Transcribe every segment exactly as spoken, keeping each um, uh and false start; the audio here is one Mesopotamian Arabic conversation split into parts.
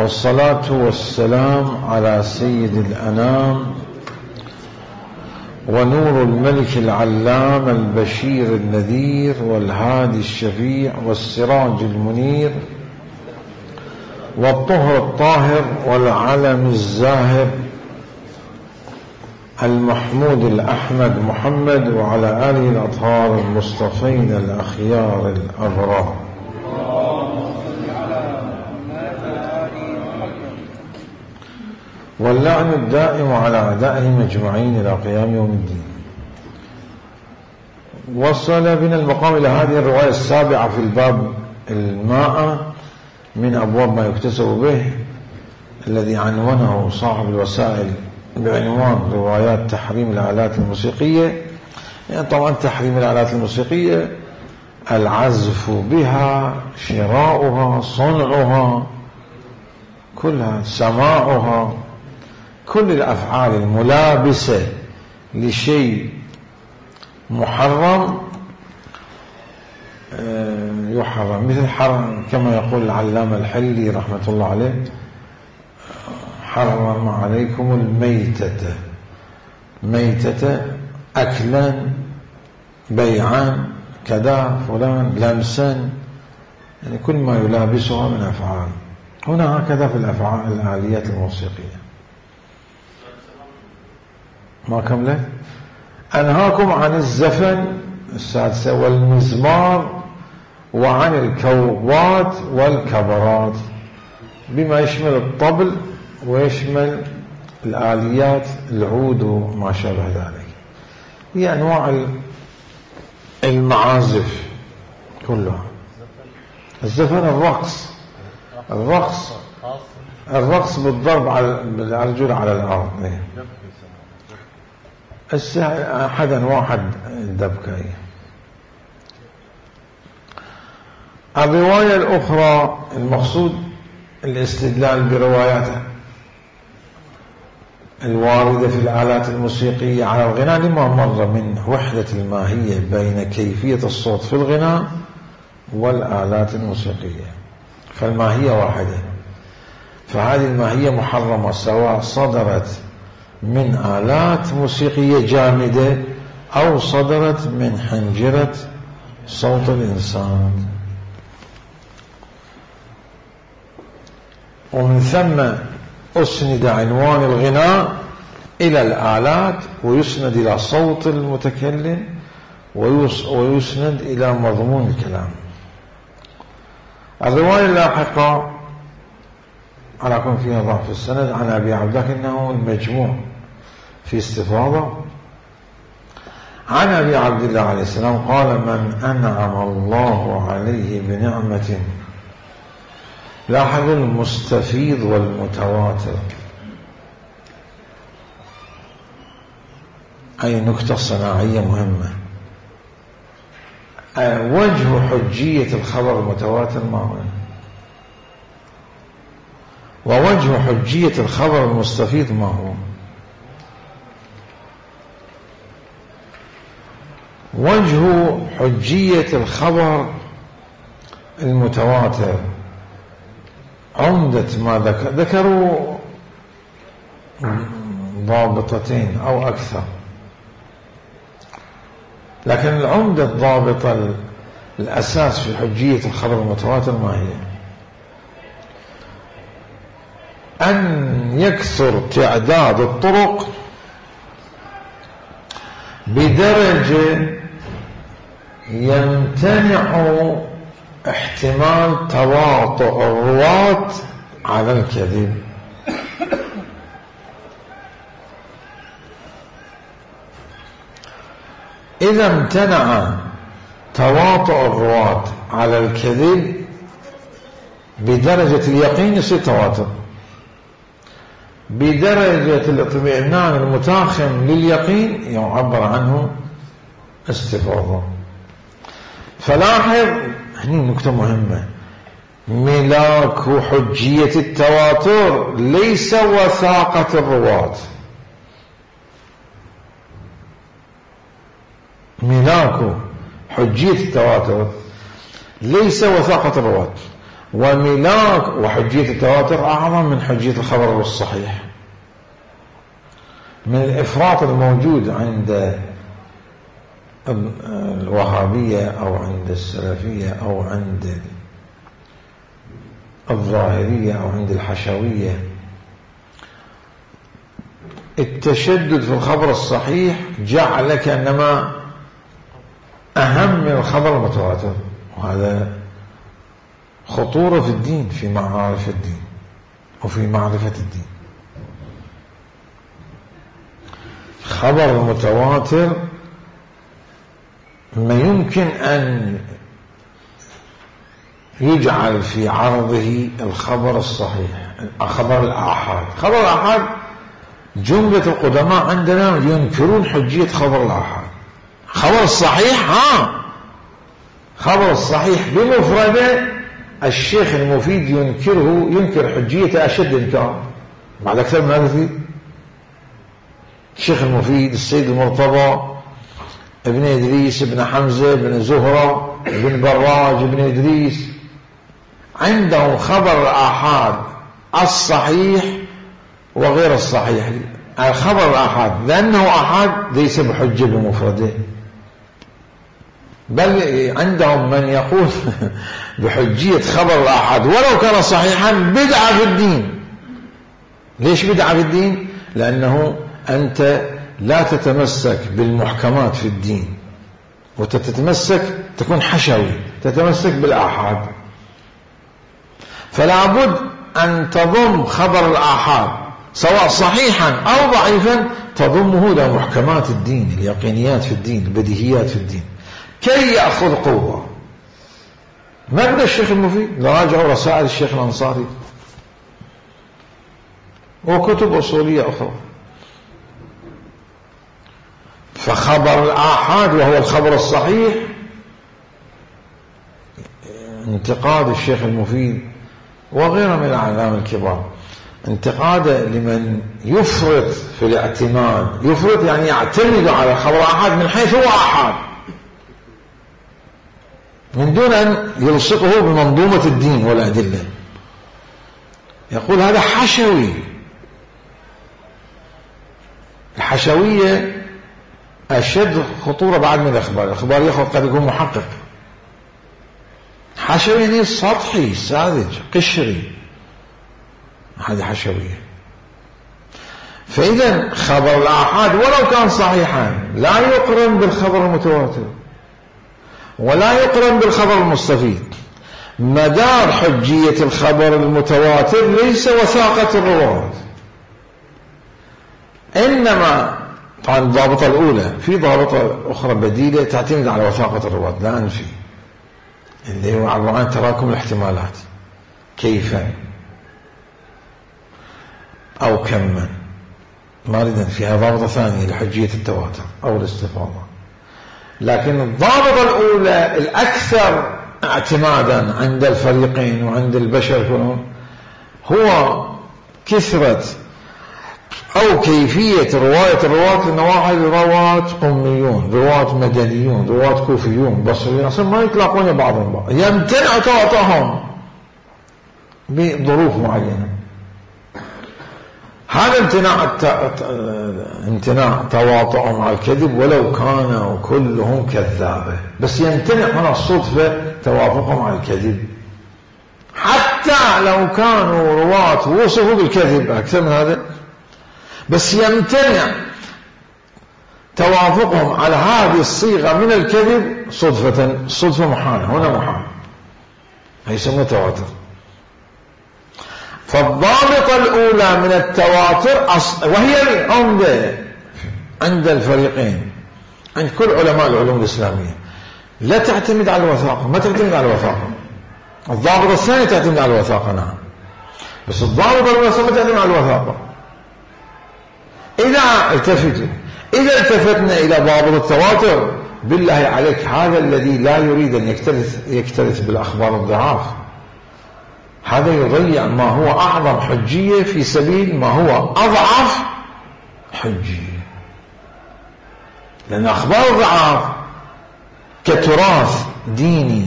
والصلاة والسلام على سيد الأنام ونور الملك العلام البشير النذير والهادي الشفيع والسراج المنير والطهر الطاهر والعلم الزاهر المحمود الأحمد محمد وعلى آله الأطهار المصطفين الأخيار الأبرار. واللعن الدائم على أعدائهم أجمعين إلى قيام يوم الدين. وصل بنا المقام إلى هذه الرواية السابعة في الباب المائة من أبواب ما يكتسب به، الذي عنونه صاحب الوسائل بعنوان روايات تحريم الآلات الموسيقية. يعني طبعا تحريم الآلات الموسيقية العزف بها، شراؤها، صنعها، كلها، سماعها، كل الأفعال الملابسة لشيء محرم يحرم، مثل حرم كما يقول العلامة الحلي رحمة الله عليه: حرم عليكم الميتة، ميتة أكلا بيعا كذا فلان لمسا، يعني كل ما يلابسها من أفعال. هنا هكذا في الأفعال الآليات الموسيقية. ما كملت؟ أنهاكم عن الزفن السادسة والمزمار وعن الكوبات والكبرات، بما يشمل الطبل ويشمل الآليات العود وما شابه ذلك، هي أنواع المعازف كلها. الزفن الرقص، الرقص الرقص بالضرب على الأرجل على الأرض. أحد واحد الدبكة. الرواية الأخرى المقصود الاستدلال بروايات الواردة في الآلات الموسيقية على الغناء لما مر من وحدة الماهية بين كيفية الصوت في الغناء والآلات الموسيقية. فالماهية واحدة، فهذه الماهية محرمة سواء صدرت من آلات موسيقية جامدة أو صدرت من حنجرة صوت الإنسان. ومن ثم أسند عنوان الغناء إلى الآلات، ويسند إلى صوت المتكلم، ويسند إلى مضمون الكلام. الرواية اللاحقة على كون فيها ضعف السند عن أبي عبد لكنه المجموع في استفاضة عن أبي عبد الله عليه السلام قال: من أنعم الله عليه بنعمة، لاحظوا المستفيض والمتواتر، أي نكتة صناعية مهمة. وجه حجية الخبر المتواتر ما هو؟ ووجه حجية الخبر المستفيض ما هو؟ وجه حجية الخبر المتواتر عمدة ما ذكر ذكروا ضابطتين أو أكثر، لكن العمدة الضابطة الأساس في حجية الخبر المتواتر ما هي؟ أن يكثر تعداد الطرق بدرجة يمتنع احتمال تواطؤ الرواة على الكذب. إذا امتنع تواطؤ الرواة على الكذب بدرجة اليقين يصير تواتر، بدرجة الاطمئنان المتاخم لليقين يعبر عنه استفاضة. فلاحظ هني نكتة مهمة: ملاك حجية التواتر ليس وثاقة الرواة، ملاك حجية التواتر ليس وثاقة الرواة. وملاك وحجية التواتر أعظم من حجية الخبر الصحيح. من الإفراط الموجود عند الوهابية أو عند السلفية أو عند الظاهرية أو عند الحشوية التشدد في الخبر الصحيح جعل كأنما أهم من الخبر المتواتر، وهذا خطورة في الدين، في معارف الدين وفي معرفة الدين. خبر المتواتر ما يمكن أن يجعل في عرضه الخبر الصحيح، خبر الآحاد. خبر الآحاد جملة القدماء عندنا ينكرون حجية خبر الآحاد. خبر الصحيح ها خبر الصحيح بمفرده الشيخ المفيد ينكره، ينكر حجية أشد إنكار بعد أكثر من هذا. الشيخ المفيد، السيد المرتضى، ابن إدريس، ابن حمزة، ابن زهرة، ابن براج، ابن إدريس، عندهم خبر الآحاد الصحيح وغير الصحيح. الخبر الآحاد لأنه آحاد ليس بحجة بمفرده، بل عندهم من يقول بحجية خبر الآحاد ولو كان صحيحا بدعة في الدين. ليش بدعة في الدين؟ لأنه أنت لا تتمسك بالمحكمات في الدين وتتمسك، تكون حشوي، تتمسك بالآحاد. فلا بد أن تضم خبر الآحاد سواء صحيحا أو ضعيفا، تضمه إلى محكمات الدين، اليقينيات في الدين، البديهيات في الدين، كي يأخذ قوة. ما قد الشيخ المفيد نراجعوا رسائل الشيخ الأنصاري وكتب أصولية أخرى. فخبر الآحاد وهو الخبر الصحيح انتقاد الشيخ المفيد وغيره من الأعلام الكبار، انتقاد لمن يفرط في الاعتماد. يفرط يعني يعتمد على خبر الآحاد من حيث هو آحاد من دون أن يلصقه بمنظومة الدين والأدلة. يقول هذا حشوي. الحشوية أشد خطورة بعد من الأخبار. الأخبار يأخذ قد يكون محقق. حشوي يعني سطحي، ساذج، قشري، هذه حشوية. فإذا خبر الآحاد ولو كان صحيحا لا يقرن بالخبر المتواتر ولا يقرن بالخبر المستفيد. مدار حجية الخبر المتواتر ليس وثاقة الرواة، إنما طبعا الضابطة الأولى، في ضابطة أخرى بديلة تعتمد على وثاقة الرواة لا أنفي، اللي هو عبارة عن تراكم الاحتمالات، كيفا أو كما. ما أريد فيها ضابطة ثانية لحجية التواتر أو الاستفاضة. لكن الضابطة الأولى الأكثر اعتمادا عند الفريقين وعند البشر كلهم هو كثرة أو كيفية رواية الرواة، لأن واحد رواة قميون، رواة مدنيون، رواة كوفيون، بصريون، أصلا ما يتلاقون بعضهم بعض، يمتنع تواطؤهم بظروف معينة. هذا امتناع امتناع تواطؤهم على الكذب ولو كانوا كلهم كذابة، بس يمتنع هنا الصدفة توافقهم على الكذب، حتى لو كانوا رواة وصفوا بالكذب أكثر من هذا، بس يمتنع توافقهم على هذه الصيغة من الكذب صدفة. صدفة محالة، هنا محال، هيسمى تواتر. فالضابطة الأولى من التواتر وهي العمدة عند الفريقين، عند كل علماء العلوم الإسلامية، لا تعتمد على الوثاقة، ما تعتمد على الوثاقة. الضابطة الثانية تعتمد على الوثاقة نعم، بس الضابطة الأولى ما تعتمد على الوثاقة. إذا التفتوا إذا التفتنا إلى ضابط التواتر، بالله عليك هذا الذي لا يريد أن يكترث, يكترث بالأخبار الضعاف، هذا يضيع ما هو أعظم حجية في سبيل ما هو أضعف حجية. لأن أخبار الضعاف كتراث ديني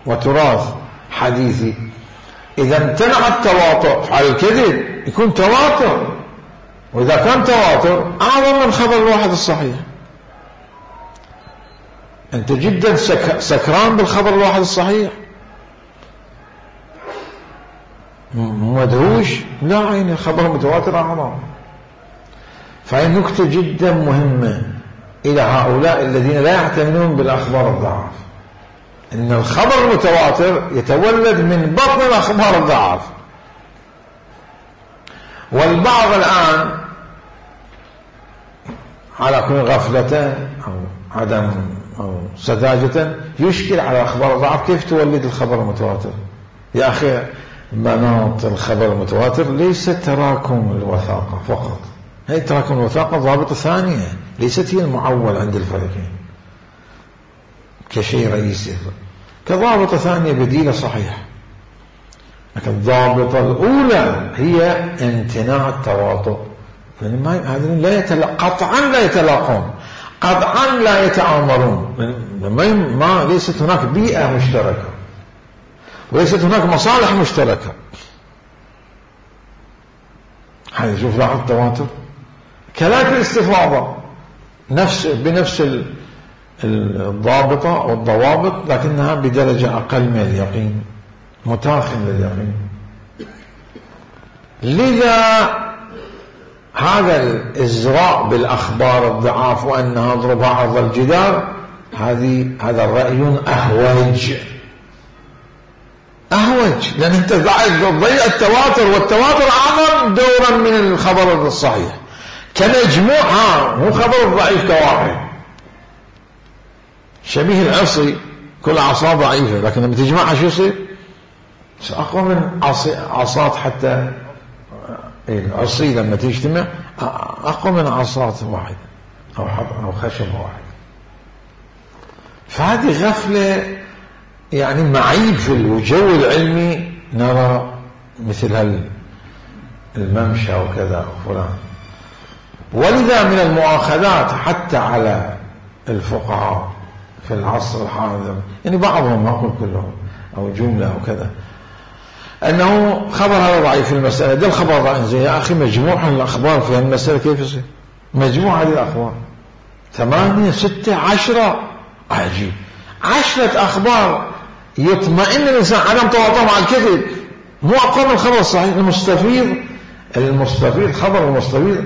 وتراث حديثي. إذا امتنع التواطؤ على الكذب يكون تواتر، وإذا كان تواتر أعظم من خبر الواحد الصحيح. أنت جدا سك... سكران بالخبر الواحد الصحيح، مدهوش، لا عيني الخبر المتواتر أعظم. فهي نكتة جدا مهمة إلى هؤلاء الذين لا يعتمدون بالأخبار الضعاف، إن الخبر المتواتر يتولد من بطن الأخبار الضعاف. والبعض الآن على كل غفلة أو عدم أو سذاجة يشكل على الأخبار الضعاف كيف تولد الخبر المتواتر. يا أخي مناط الخبر المتواتر ليس تراكم الوثاقة فقط، هي تراكم الوثاقة ضابطة ثانية ليست هي المعول عند الفريقين كشيء رئيسي، كضابطة ثانية بديلة صحيحة. لكن الضابطة الأولى هي امتناع التواطؤ، هذين لا يتلاقون قطعا، لا يتلاقون قطعا، لا يتآمرون، ما ليست هناك بيئة مشتركة وليست هناك مصالح مشتركة. هذا شوف لاحظ التواتر كذلك الاستفاضة نفس بنفس الضابطة والضوابط، لكنها بدرجة أقل من اليقين، متاخم لليقين. لذا هذا الإزراء بالأخبار الضعاف وأنها ضرب عرض الجدار، هذه هذا الرأي أهوج أهوج لأن أنت تضيع التواتر، والتواتر أعظم دورا من الخبر الصحيح كمجموع، ها مو خبر ضعيف كواحد. شبيه العصي كل عصا ضعيفة، لكن لما تجمعها شو يصير؟ أقوى من عصات. حتى العصي لما تجتمع أقوى من عصات واحد أو أو خشب واحد. فهذه غفلة، يعني معيب في الجو العلمي نرى مثل هالممشى وكذا وفلان. ولذا من المؤاخذات حتى على الفقهاء في العصر الحاضر، يعني بعضهم ما أقول كلهم أو جملة أو كذا، أنه خبر هذا ضعيف في المسألة، ده الخبر ضعيف. زي يا أخي مجموع الأخبار في المسألة كيف يصير؟ مجموع هذه الأخبار ثمانية ستة عشرة، عجيب، عشرة أخبار يطمئن الإنسان عدم تواطؤ مع الكذب، مو أقوى من الخبر الصحيح. المستفيض المستفيض خبر المستفيض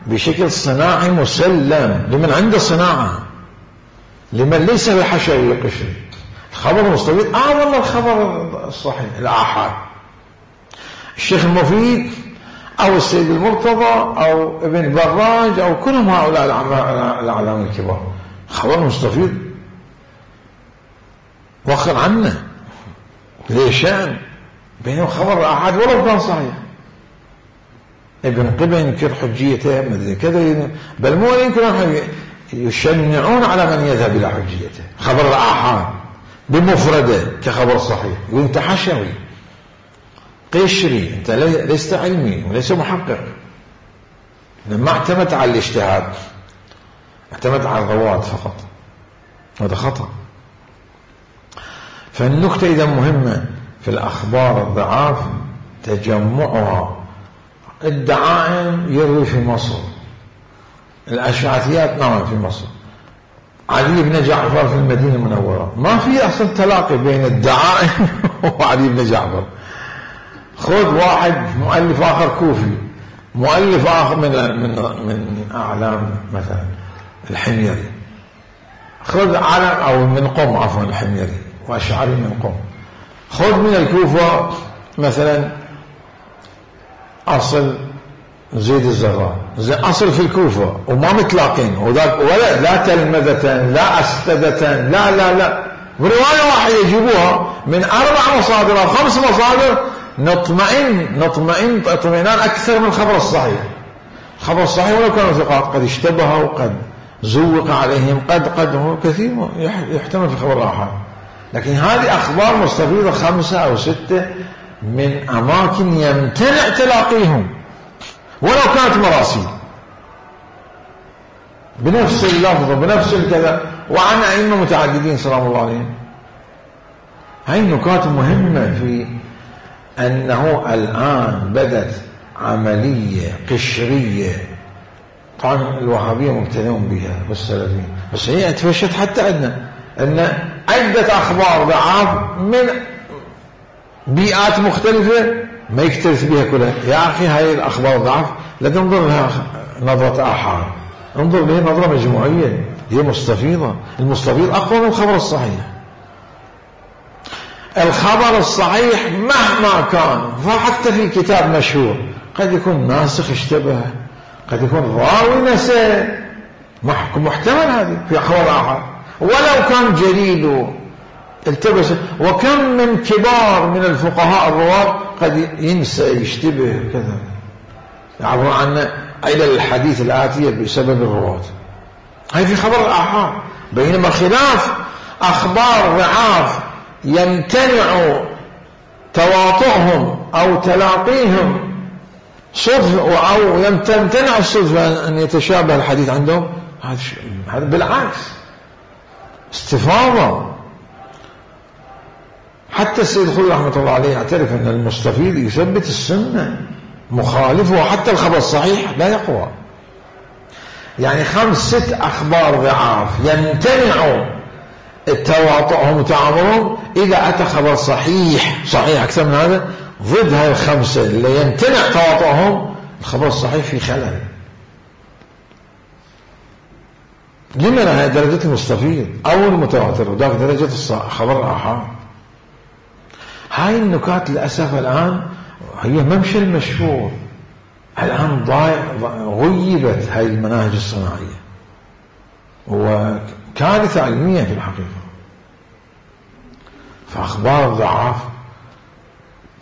بشكل صناعي مسلم لمن عنده صناعة، لمن ليس بحشوي قشري. الخبر المستفيض أعظم من الخبر الصحيح الآحاد. الشيخ المفيد أو السيد المرتضى أو ابن براج أو كلهم هؤلاء الأعلام الكبار، خبر المستفيض وخر عنه ليشان بينه خبر الآحاد ولو كان صحيح. ابن قبل ينكر حجيته مدري كذا، بل مو ينكر، يشنعون على من يذهب إلى حجيته. خبر الآحاد بمفرده كخبر صحيح وانت حشوي قشري، انت لست علمي وليس محقق، ما اعتمد على الاجتهاد، اعتمد على الرواد فقط، هذا خطأ. فالنكتة إذا مهمة في الأخبار الضعاف تجمعها. الدعائم يروي في مصر، الأشعثيات نعم في مصر، علي بن جعفر في المدينة المنورة، ما في أصلا تلاقي بين الدعائم وعلي بن جعفر. خذ واحد مؤلف آخر كوفي، مؤلف آخر من من من أعلام مثلا الحميري، خذ علم أو من قم عفوا الحميري وأشعري من قم، خذ من الكوفة مثلا أصل زيد الزهراء، أصل في الكوفة وما متلاقين، ولا لا تلمذة لا أستدة لا لا لا برواية واحدة يجيبوها من أربع مصادر أو خمس مصادر، نطمئن نطمئن اطمئنان أكثر من الخبر الصحيح. الخبر الصحيح ولو كانوا ثقات قد اشتبهوا وقد زوق عليهم، قد قد كثير يحتمل في خبر الآحاد. لكن هذه أخبار مستفيضة خمسة أو ستة من أماكن يمتنع تلاقيهم ولو كانت مراسيل بنفس اللفظ بنفس الكذا، وعن أئمة متعددين سلام الله عليهم. هاي النقاط مهمة في أنه الآن بدت عملية قشرية. طبعا الوهابية مبتدئون بها والسلفيين، بس هي اتفشت حتى عندنا أن عدة أخبار ضعاف من بيئات مختلفة ما يكترث بها كلها. يا أخي هاي الأخبار ضعف لا تنظر لها نظرة آحاد، انظر لها نظرة مجموعية، هي مستفيضة. المستفيض أقوى من الخبر الصحيح. الخبر الصحيح مهما كان، فحتى في كتاب مشهور قد يكون ناسخ اشتبه، قد يكون راوي نسى، محتمل هذه في خبر آحاد ولو كان جليل التبس. وكم من كبار من الفقهاء الرواة قد ينسى يشتبه كذا، يعبر عن علل الحديث الآتية بسبب الرواة. هاي في خبر الآحاد. بينما خلاف أخبار ضعاف يمتنع تواطؤهم أو تلاقيهم صدفة، أو يمتنع الصدفة أن يتشابه الحديث عندهم، هذا بالعكس استفاضة. حتى السيد الخدري رحمة الله عليه يعترف أن المستفيض يثبت السنة، مخالفه حتى الخبر الصحيح لا يقوى. يعني خمس ست أخبار ضعاف يمتنع التواطؤهم وتعاملهم، إذا أتى خبر صحيح صحيح أكثر من هذا ضد هاي الخمسة اللي يمتنع تواطؤهم، الخبر الصحيح في خلل. لمن هي درجة المستفيض أو المتواتر، وذاك درجة خبر الآحاد. هاي النكات للأسف الآن هي ممشى المشهور. الآن ضايع غيبت هاي المناهج الصناعية، وكارثة علمية في الحقيقة. فأخبار ضعاف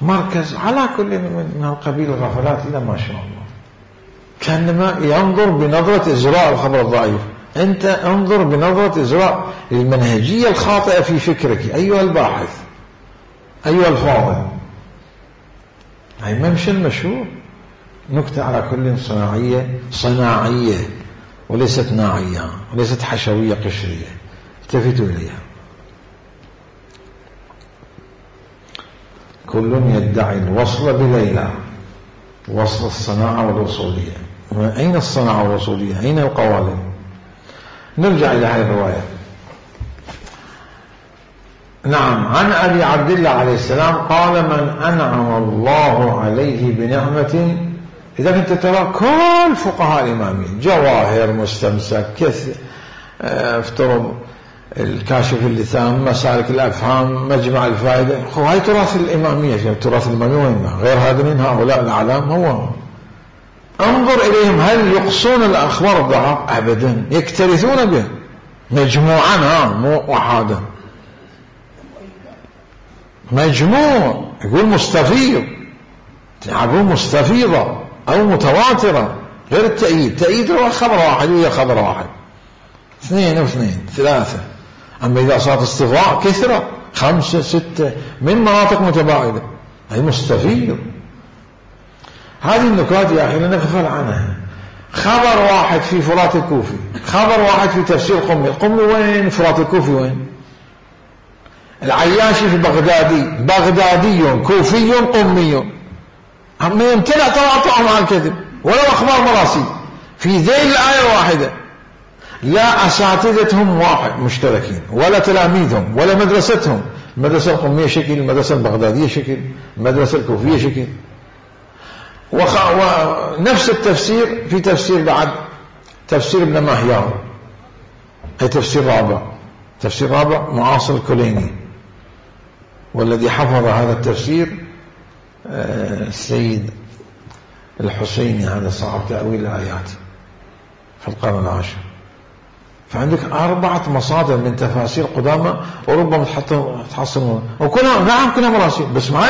مركز على كل من القبيل الغفلات إلى ما شاء الله، كأنما ينظر بنظرة إزراء الخبر الضعيف. أنت انظر بنظرة إزراء المنهجية الخاطئة في فكرك أيها الباحث، أيها الفاضل. هاي ممشى المشهور. نكتة على كل صناعية صناعية وليست ناعية، وليست حشوية قشرية، التفتوا إليها. كل يدعي الوصل بليلى، وصل الصناعة والوصولية. أين الصناعة والوصولية؟ أين القوالب؟ نرجع إلى هذه الرواية. نعم، عن أبي عبد الله عليه السلام قال: من أنعم الله عليه بنعمة. إذا كنت ترى كل فقهاء الإمامية، جواهر، مستمسك، كثير، افترض الكاشف اللثام، مسالك الأفهام، مجمع الفائدة، هاي تراث الإمامية. تراث الإمامية وين؟ غير هذا من هؤلاء الأعلام. هو انظر إليهم، هل يقصون الأخبار الضعاف؟ أبدا، يكترثون به مجموعا، ها مو وحادا، مجموع. يقول مستفيض، يقول مستفيضة أو متواترة، غير التأييد. تأييد هو خبر واحد وهي خبر واحد، اثنين واثنين ثلاثة. أما إذا صارت استفاء كثرة، خمسة ستة من مناطق متباعدة، أي مستفيض. هذه النكات يا أخي نغفل عنها. خبر واحد في فرات الكوفي، خبر واحد في تفسير قمي. القمي وين؟ فرات الكوفي وين؟ العياشي في بغدادي، بغدادي كوفي قمي. أما يمتنع تواطؤهم على الكذب ولو أخبار مراسيل في ذيل الآية واحدة. لا أساتذتهم واحد مشتركين، ولا تلاميذهم، ولا مدرستهم. المدرسة القمية شكل، المدرسة البغدادية شكل، المدرسة الكوفية شكل. وخ... ونفس التفسير في تفسير بعد، تفسير ابن ماهيان، أي تفسير رابع، تفسير رابع معاصر الكليني. والذي حفظ هذا التفسير السيد الحسيني، هذا صاحب تأويل الآيات في القرن العاشر. فعندك أربعة مصادر من تفاسير قدامى، وربما تحصل وكلها نعم كلها مراسيل، بس ما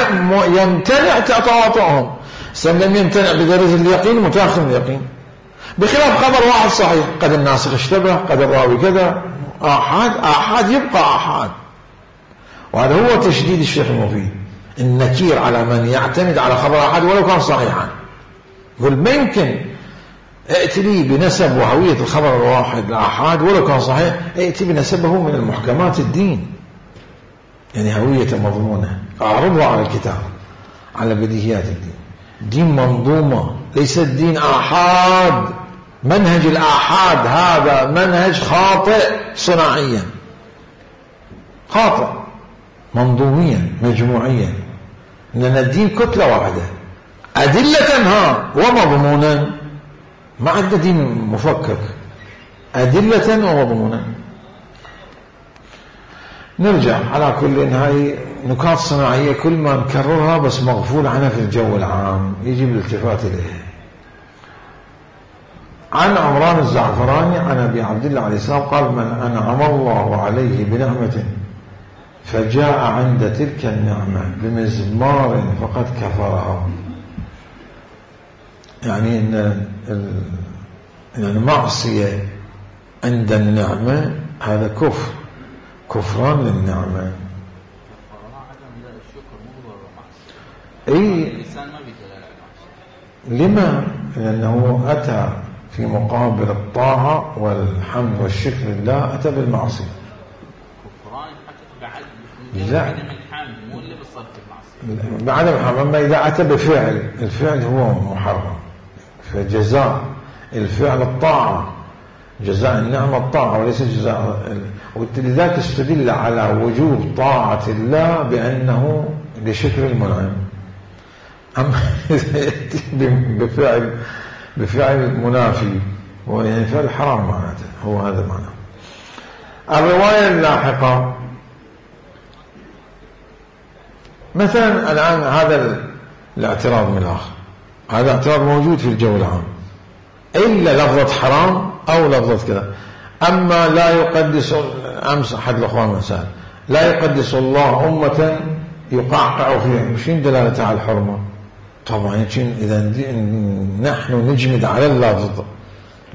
يمتنع تواطؤهم. لم يمتنع بدرجة اليقين، متأخر من اليقين. بخلاف خبر واحد صحيح، قد الناسخ اشتبه، قد الراوي كذا. آحاد آحاد يبقى آحاد. وهذا هو تشديد الشيخ المفيد، النكير على من يعتمد على خبر آحاد ولو كان صحيحا. يقول ما يمكن ائتي لي بنسب وهوية الخبر الواحد الآحاد ولو كان صحيح، ائتي بنسبه من المحكمات الدين. يعني هوية مضمونة، أعرضها على الكتاب، على بديهيات الدين. دين منظومة، ليس الدين آحاد. منهج الآحاد هذا منهج خاطئ صناعيا، خاطئ منظوميا مجموعيا. لأن الدين كتلة واحدة، أدلة ها ومضمونا، ما عندنا دين مفكك، أدلة ومضمونا. نرجع على كل هاي نكات صناعية كل ما نكررها بس مغفول عنها في الجو العام، يجب الالتفات إليها. عن عمران الزعفراني عن أبي عبد الله عليه السلام قال: من أنعم الله عليه بنعمة فجاء عند تلك النعمة بمزمار فقد كفرها. يعني إن يعني معصية عند النعمة هذا كفر، كفران للنعمة. اي لما؟ لأنه أتى في مقابل الطاعة والحمد والشكر لله أتى بالمعصية. لا بعدم الحمد، أما إذا أتى بفعل، الفعل هو محرم، فجزاء الفعل الطاعة، جزاء النعمة الطاعة وليس جزاء. ولذلك استدل على وجوب طاعة الله بأنه لشكر المنعم. أما بفعل بفعل منافي ويعني فعل حرام معناته، هو هذا معناه. الرواية اللاحقة مثلا الآن هذا الاعتراض من الآخر، هذا اعتراض موجود في الجو العام، إلا لفظة حرام أو لفظة كذا. أما لا يقدس، أمس أحد الأخوان مسأل، لا يقدس الله أمة يقعقع فيها، شين دلالة على الحرمة؟ طبعا إذا نحن نجمد على اللفظ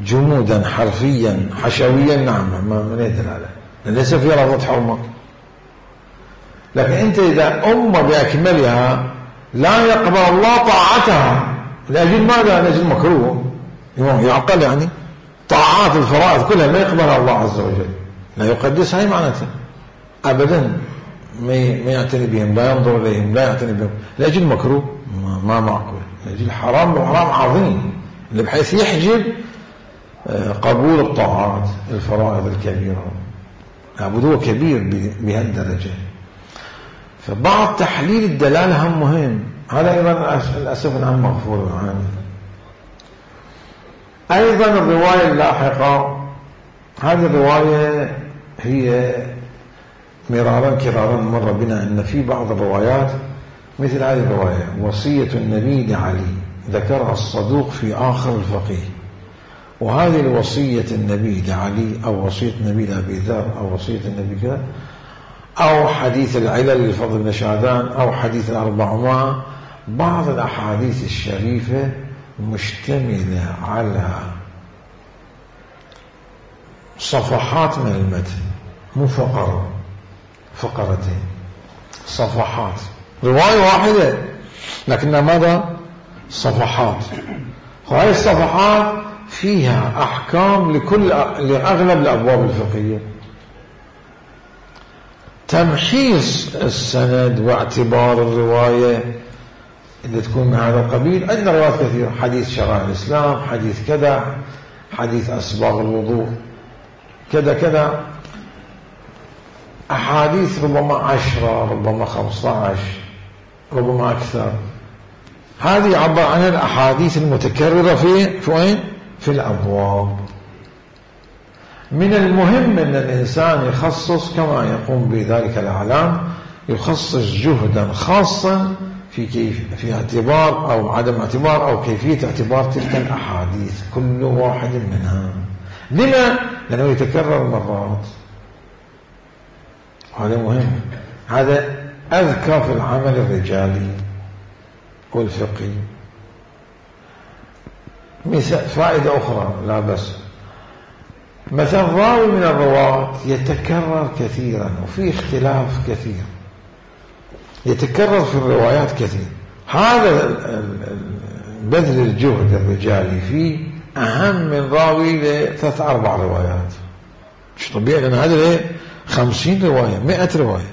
جمودا حرفيا حشويا، نعم، ما من دلالة، ليس فيها لفظة حرمة. لكن أنت إذا أمة بأكملها لا يقبل الله طاعتها، لأجل ماذا؟ لأجل مكروه يعقل، يعني طاعات الفرائض كلها ما يقبلها الله عز وجل، لا يقدسها، هي معناتها أبدا ما يعتني بهم، لا ينظر إليهم، لا يعتني بهم، لأجل مكروه ما معقول، لأجل حرام، وحرام عظيم اللي بحيث يحجب قبول الطاعات الفرائض الكبيرة. لابد هو كبير بهالدرجة. فبعض تحليل الدلالة هم مهم، هذا أيضا للأسف الآن مغفور عنه. أيضا الرواية اللاحقة، هذه الرواية هي مرارا كرارا مر بنا أن في بعض الروايات مثل هذه الرواية: وصية النبي لعلي، ذكرها الصدوق في آخر الفقيه. وهذه الوصية النبي لعلي أو وصية النبي لأبي ذر أو وصية النبي كذا، أو حديث العلل لفضل بن شعدان، أو حديث الأربعمائة، بعض الأحاديث الشريفة مشتملة على صفحات من المتن، مو فقرة فقرتين، صفحات، رواية واحدة لكنها ماذا؟ صفحات. وهذه الصفحات فيها أحكام لكل لأغلب الأبواب الفقهية. تمحيص السند واعتبار الرواية اللي تكون من هذا القبيل، عندنا روايات كثيرة، حديث شرائع الإسلام، حديث كذا، حديث أسباغ الوضوء كذا كذا، أحاديث ربما عشرة، ربما خمسة عشر، ربما أكثر. هذه عبر عن الأحاديث المتكررة في في وين؟ في الأبواب. من المهم أن الإنسان يخصص كما يقوم بذلك الأعلام، يخصص جهدا خاصا في كيف في اعتبار أو عدم اعتبار أو كيفية اعتبار تلك الأحاديث كل واحد منها. لما؟ لأنه يتكرر مرات، هذا مهم. هذا أذكى في العمل الرجالي والفقهي. مثال فائدة أخرى لا بس، مثلا راوي من الرواة يتكرر كثيرا وفي اختلاف كثير، يتكرر في الروايات كثير، هذا بذل الجهد الرجالي فيه أهم من راوي لثلاث أربع روايات. مش طبيعي، لأن هذا خمسين رواية، مئة رواية.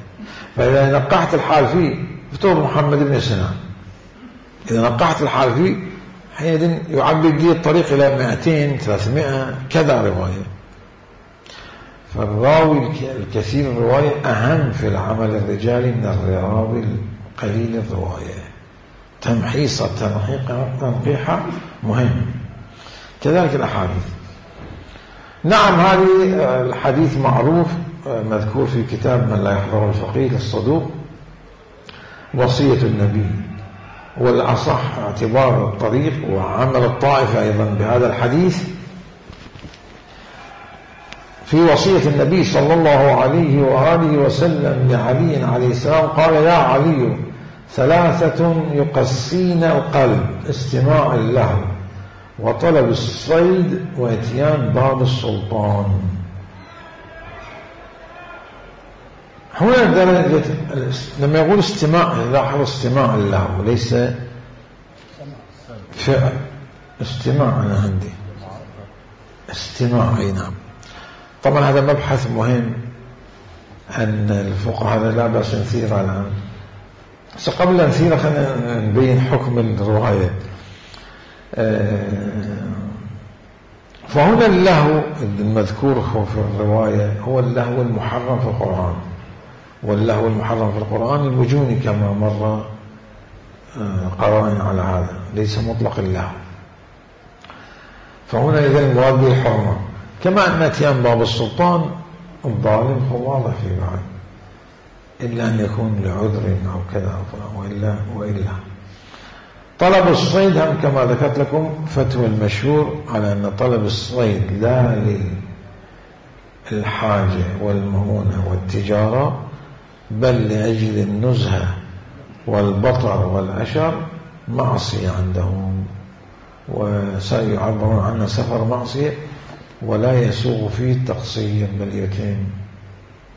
فإذا نقحت الحال فيه فتوب محمد بن سنان، إذا نقحت الحال فيه حينئذ يعبد لي الطريق إلى مئتين ثلاثمائة كذا رواية. فالراوي الكثير الرواية أهم في العمل الرجالي من الراوي القليل الرواية. تمحيصة تنقيحة مهم. كذلك الأحاديث. نعم هذه الحديث معروف مذكور في كتاب من لا يحضر الفقيه الصدوق وصية النبي، والأصح اعتبار الطريق وعمل الطائفة أيضا بهذا الحديث في وصية النبي صلى الله عليه وآله وسلم لعلي عليه السلام. قال: يا علي ثلاثة يقسين القلب: استماع له، وطلب الصيد، واتيان باب السلطان. هنا درجة لما يقول استماع، لاحظ استماع له ليس فعل. استماع أنا عندي استماع. أي نعم. طبعا هذا مبحث مهم أن الفقهاء هذا لا بأس نثيره الآن، بس قبل أن نثيره خلينا نبين حكم الرواية. فهنا اللهو المذكور في الرواية هو اللهو المحرم في القرآن، واللهو المحرم في القرآن الوجوني كما مر قرائن على هذا، ليس مطلق اللهو. فهنا إذا المراد به الحرمة، كما أن اتيان باب السلطان الظالم هو واضح في بعض، إلا أن يكون لعذر أو كذا وإلا وإلا طلب الصيد هم كما ذكرت لكم فتوى المشهور على أن طلب الصيد لا للحاجة والمهونة والتجارة، بل لأجل النزهة والبطر والأشر معصية عندهم، وسيعبرون عنه سفر معصية ولا يسوغ فيه التقصير بل يتم.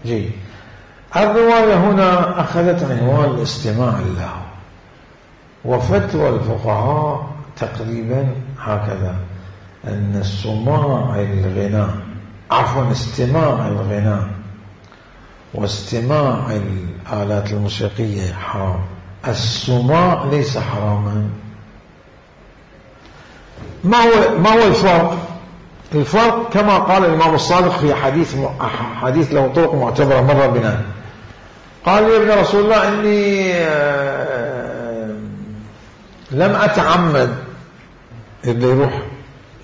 جيد. الرواية هنا أخذت عنوان الاستماع له، وفتوى الفقهاء تقريبا هكذا، أن السماع الغناء عفوا استماع الغناء واستماع الآلات الموسيقية حرام، السماع ليس حراما. ما هو ما هو الفرق؟ الفرق كما قال الإمام الصادق في حديث حديث له طرق معتبرة مرة بنا، قال لي ابن رسول الله إني لم أتعمد اللي يروح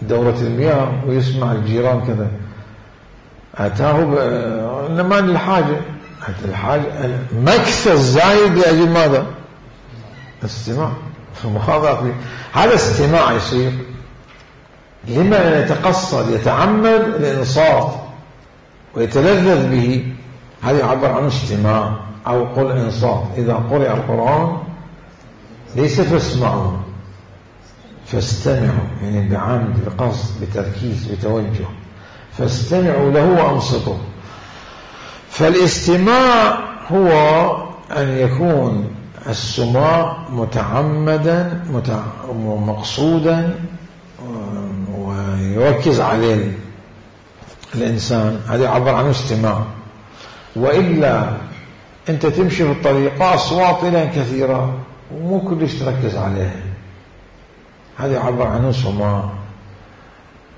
دورة المياه ويسمع الجيران كذا، أتاه إنما للحاجة، الحاجة مكث الزايد لأجل ماذا؟ استماع. فمخاضع هذا استماع يصير لما يتقصد يتعمد الإنصات ويتلذذ به، هذا يعبر عنه استماع أو قل إنصات. إذا قرئ القرآن ليس فاسمعوا، فاستمعوا، يعني بعمد بقصد بتركيز بتوجه، فاستمعوا له وأنصتوا. فالاستماع هو أن يكون السماع متعمدا مقصودا ويركز عليه الإنسان، هذا يعبر عنه استماع. وإلا أنت تمشي في الطريقة أصوات إلى كثيرة ومو كلش تركز عليها، هذا يعبر عنه سماع.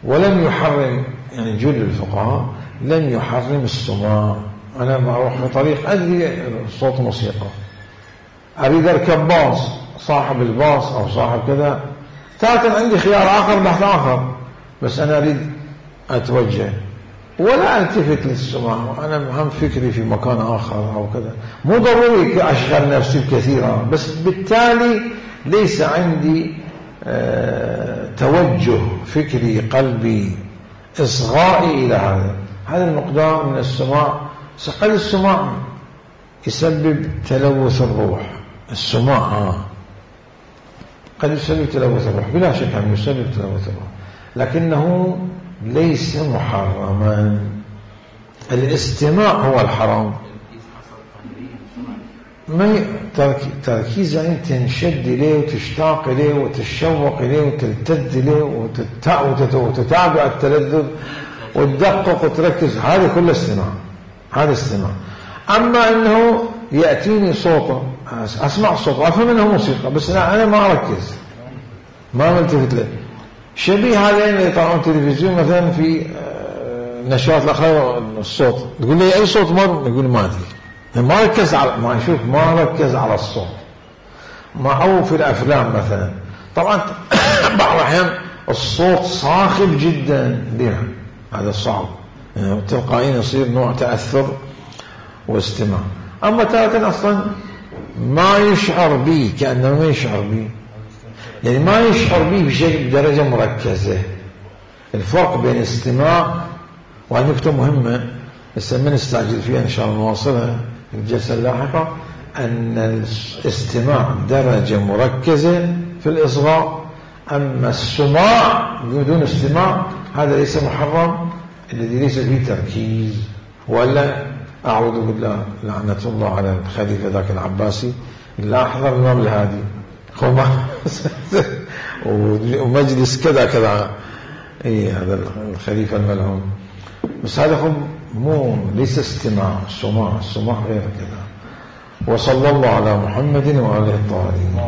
ولم يحرم، يعني جل الفقهاء لم يحرم السماع. أنا ما أروح في طريق أدري صوت موسيقى، أريد أركب باص، صاحب الباص أو صاحب كذا، تارة عندي خيار آخر بحث آخر، بس أنا أريد أتوجه ولا ألتفت للسماع، أنا هم فكري في مكان آخر أو كذا، مو ضروري أشغل نفسي كثيرا، بس بالتالي ليس عندي أه توجه فكري قلبي إصغائي إلى هذا. هذا المقدار من السماع. قد السماع يسبب تلوث الروح، السماع آه. قد يسبب تلوث الروح بلا شك، أنه يسبب تلوث الروح، لكنه ليس محرما. الاستماع هو الحرام. ما تركيز يعني تنشد إليه وتشتاق إليه وتتشوق إليه وتلتذ إليه وتتابع التلذذ وتدقق وتركز، هذا كله استماع، هذا استماع. أما أنه يأتيني صوته أسمع صوته وأفهم أنه موسيقى، بس أنا ما أركز ما ملتفت له. شبيه هذين اللي يطلعون تلفزيون مثلا في نشرات الأخبار الصوت، تقول لي أي صوت مر؟ يقول ما أدري، ما ركز على ما يشوف ما ركز على الصوت. معه في الأفلام مثلا طبعا بعض الأحيان الصوت صاخب جدا بها، هذا صعب يعني تلقائيا يصير نوع تأثر واستماع. أما تارة أصلا ما يشعر به، كأنه ما يشعر به، يعني ما يشعر به بشكل درجة مركزة. الفرق بين الاستماع، وهذه نقطة مهمة بس ما نستعجل فيها إن شاء الله نواصلها في الجلسة اللاحقة، أن الاستماع درجة مركزة في الإصغاء، أما السماع بدون استماع هذا ليس محرم، الذي ليس فيه تركيز. ولا أعوذ بالله لعنة الله على الخليفة ذاك العباسي اللي أحضر الإمام الهادي ومجلس كذا كذا، إيه هذا الخليفة الملعون، بس هذا مو ليس استماع، السماع السماع غير كذا. وصلى الله على محمد وعلى الطاهرين.